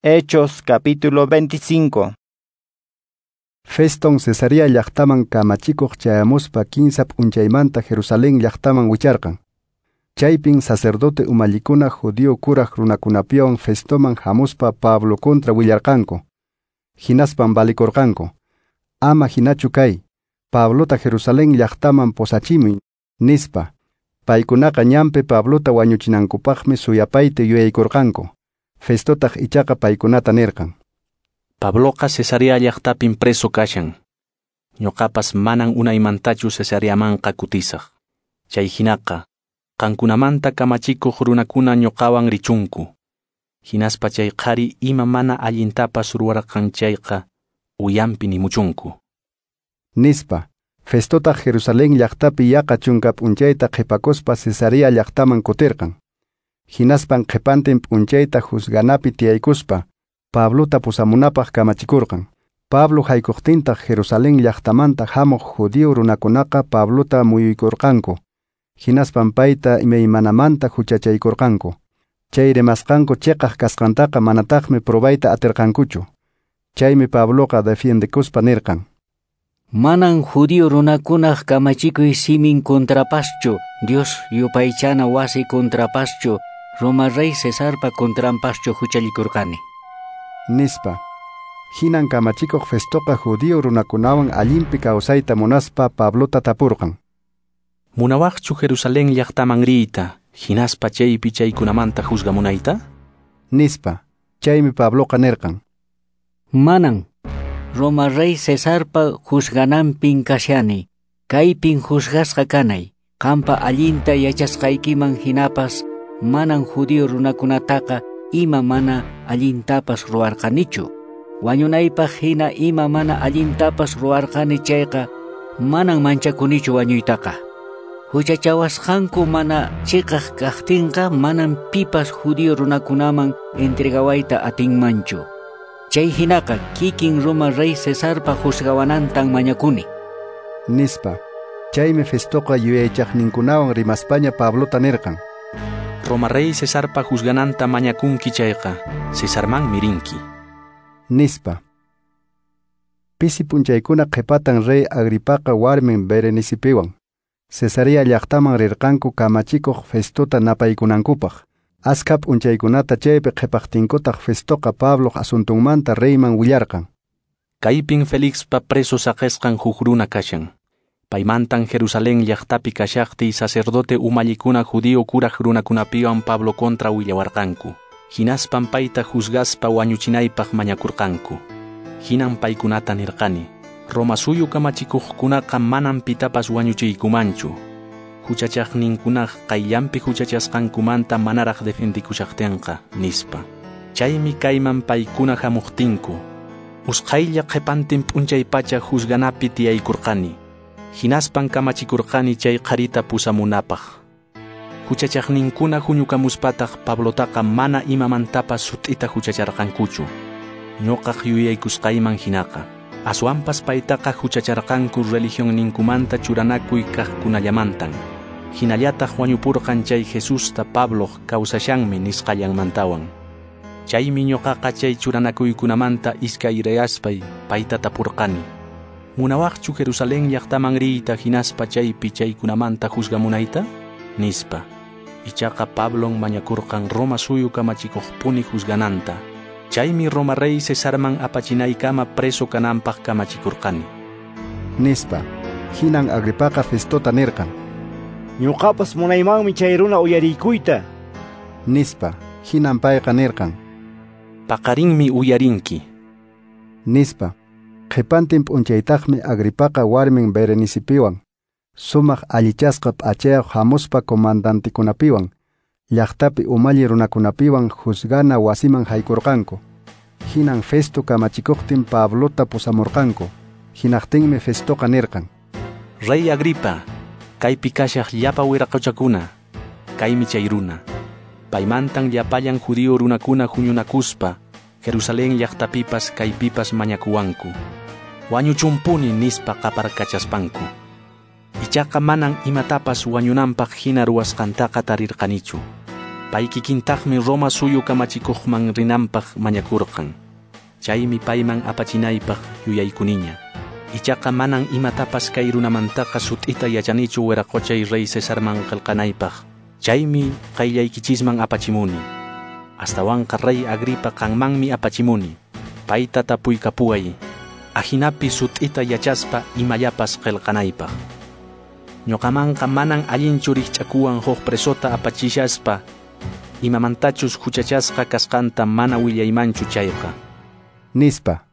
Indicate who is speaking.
Speaker 1: Hechos capítulo 25.
Speaker 2: Feston Cesarea llaqtaman kamachikuq chayamuspa kinsa p'unchaymanta Jerusalén llaqtaman wicharqan. Chaypin sacerdote umallikuna judío kuraq runakunapiwan Festoman hamuspa Pablo contra willarqanku. Hinaspan valikurqanku. Ama hinachu kay, Pablota Jerusalén llaqtaman posachimuy, nispa. Paykunaqa ñanpi Pablota wañuchinankupaqmi suyapayta yuyaykurqanku. Festotaq ichaqa paykunata nirqan.
Speaker 3: Pabloqa Cesarea llaqtapin preso kashan. Ñuqapas manan unaymantachu Cesareamanqa kutisaq. Chay hinaqa, qankunamanta kamachikuq runakuna ñuqawan richunku. Hinaspa chay qhari ima mana allintapas ruwarqan chayqa uyampi nimuchunku.
Speaker 2: Nispa, Festotaq Jerusalén llaqtapi yaqa chunka p'unchayta qhipakuspa Cesarea llaqtaman kutirqan. Hinaspan qhipantin p'unchayta juzganapi tiyaykuspa Pablota pusamunapaq kamachikurqan. Pablo haykuqtintaq Jerusalén llaqtamanta hamuq judío runakunaqa Pablota muyuykurqanku. Hinaspan payta imaymanamanta huchachaykurqanku. Chay rimasqanku chiqaq kasqantaqa manataqmi probayta atirqankuchu. Chaymi Pabloqa defiendekuspa nirqan.
Speaker 4: Manan judío runakunaq kamachikuy simin contrapaschu, Dios yupaychana wasi contrapaschu, Roma rey Cesarpa contrampaschu huchallikurqani.
Speaker 2: Nispa. Hinan kamachikuq Festoqa judío runakunawan allinpi kawsayta munaspa Pablota tapurqan.
Speaker 3: Munawaqchu Jerusalén llaqtaman riyta, hinaspa chaypi chaykunamanta juzgamunayta?
Speaker 2: Nispa. Chaymi Pabloqa nirqan.
Speaker 4: Manan. Roma rey Cesarpa juzgananpin kashani, kaypin juzgasqa kanay, qampa allinta yachasqaykiman hinapas manan judío runakunataqa ima mana allintapas ruwarqanichu. Wañunaypaq hina ima mana allintapas ruwarqani chayqa manan manchakunichu wañuytaqa. Huchachawasqanku mana chiqaq kaqtinqa manan pipas judío runakunaman entregawayta atinmanchu. Chay hinaqa kikin Roma rey Cesarpa juzgawanantan mañakuni.
Speaker 2: Nispa. Chaymi Festoqa yuyaychaqninkunawan rimaspaña Pablota nirqan.
Speaker 3: Roma rey Cesarpa juzgananta mañakunki chayqa, Cesarmanmi rinki.
Speaker 2: Nispa. Pisi p'unchaykuna qhipatan rey Agripaqa warmin Berenicipiwan Cesarea llaqtaman rirqanku kamachikuq Festota napaykunankupaq. Askha p'unchaykunata chaypi qhipaqtinkutaq Festoqa Pabloq asuntunmanta reyman willarqan.
Speaker 3: Kaypin Felixpa preso saqesqan huk runa kashan. Paymantan Jerusalén llaqtapi kashaqtiy sacerdote umallikuna judío kuraq runakunapiwan Pablo contra willawarqanku. Hinaspan payta juzgaspa wañuchinaypaq mañakurqanku. Hinan paykunata nirqani. Roma suyu kamachikuqkunaqa manan pitapas wañuchiykumanchu. Huchachaqninkunaq qayllanpi huchachasqankumanta manaraq defendikushaqtinqa, nispa. Chaymi kayman paykuna hamuqtinku. Usqhaylla qhipantin p'unchaypacha juzganapi tiyaykurqani. Hinaspan kamachikurqani chay qharita pusamunapaq. Huchachaqninkuna huñukamuspataq Pablotaqa mana imamantapas sut'ita huchacharqankuchu. Ñuqaq yuyaykusqayman hinaqa. Aswanpas paytaqa huchacharqanku religionninkumanta churanakuy kaqkunallamantan. Hinallataq wañupurqan chay Jesusta Pabloq kawsashanmi nisqallanmantawan. Chaymi ñuqaqa chay churanakuykunamanta iskayrayaspay payta tapurqani. Munawaqchu Jerusalén llaqtaman riyta hinaspa chaypi chaykunamanta juzgamunayta? Nispa. Ichaqa Pablon mañakurqan Roma suyu kamachikuqpuni juzgananta. Chaymi Roma rey Cesarman apachinaykama preso kananpaq kamachikurqani.
Speaker 2: Nispa. Hinan Agripaqa Festota nirqan.
Speaker 5: Ñuqapas munaymanmi chay runa uyariykuyta.
Speaker 2: Nispa. Hinan payqa nirqan.
Speaker 3: Paqarinmi uyarinki.
Speaker 2: Nispa. Qhipantin p'unchaytaqmi Agripaqa warmin Berenicipiwan sumaq allichasqa p'achayuq hamuspa comandantikunapiwan llaqtapi umalli runakunapiwan juzgana wasiman haykurqanku. Hinan Festo kamachikuqtin Pablota pusamurqanku. Hinaqtinmi Festoqa nirqan.
Speaker 3: Rey Agripa, kaypi kashaq llapa wiraqochakuna, kaymi chay runa. Paymantan llapallan judío runakuna huñunakuspa Jerusalén llaqtapipas kaypipas mañakuwanku. Wañuchumpuni nispa qaparkachaspanku. Ichaqa manan imatapas wañunanpaq hina ruwasqantaqa tarirqanichu. Pay kikintaqmi Roma suyu kamachikuqman rinanpaq mañakurqan. Chaymi payman apachinaypaq yuyaykuniña. Ichaqa manan imatapas kay runamantaqa sut'ita yachanichu wiraqochay rey Cesarman qillqanaypaq. Chaymi qayllaykichisman apachimuni. Astawanqa rey Agripa qanmanmi apachimuni. Payta tapuykapuway. Ajinapi sut'ita yachaspa imallapas qillqanaypaq. Ñuqamanqa manan allinchu rikch'akuwan huk presota apachishaspa imamantachus huchachasqa kasqanta mana willaymanchu chayqa.
Speaker 2: Nispa.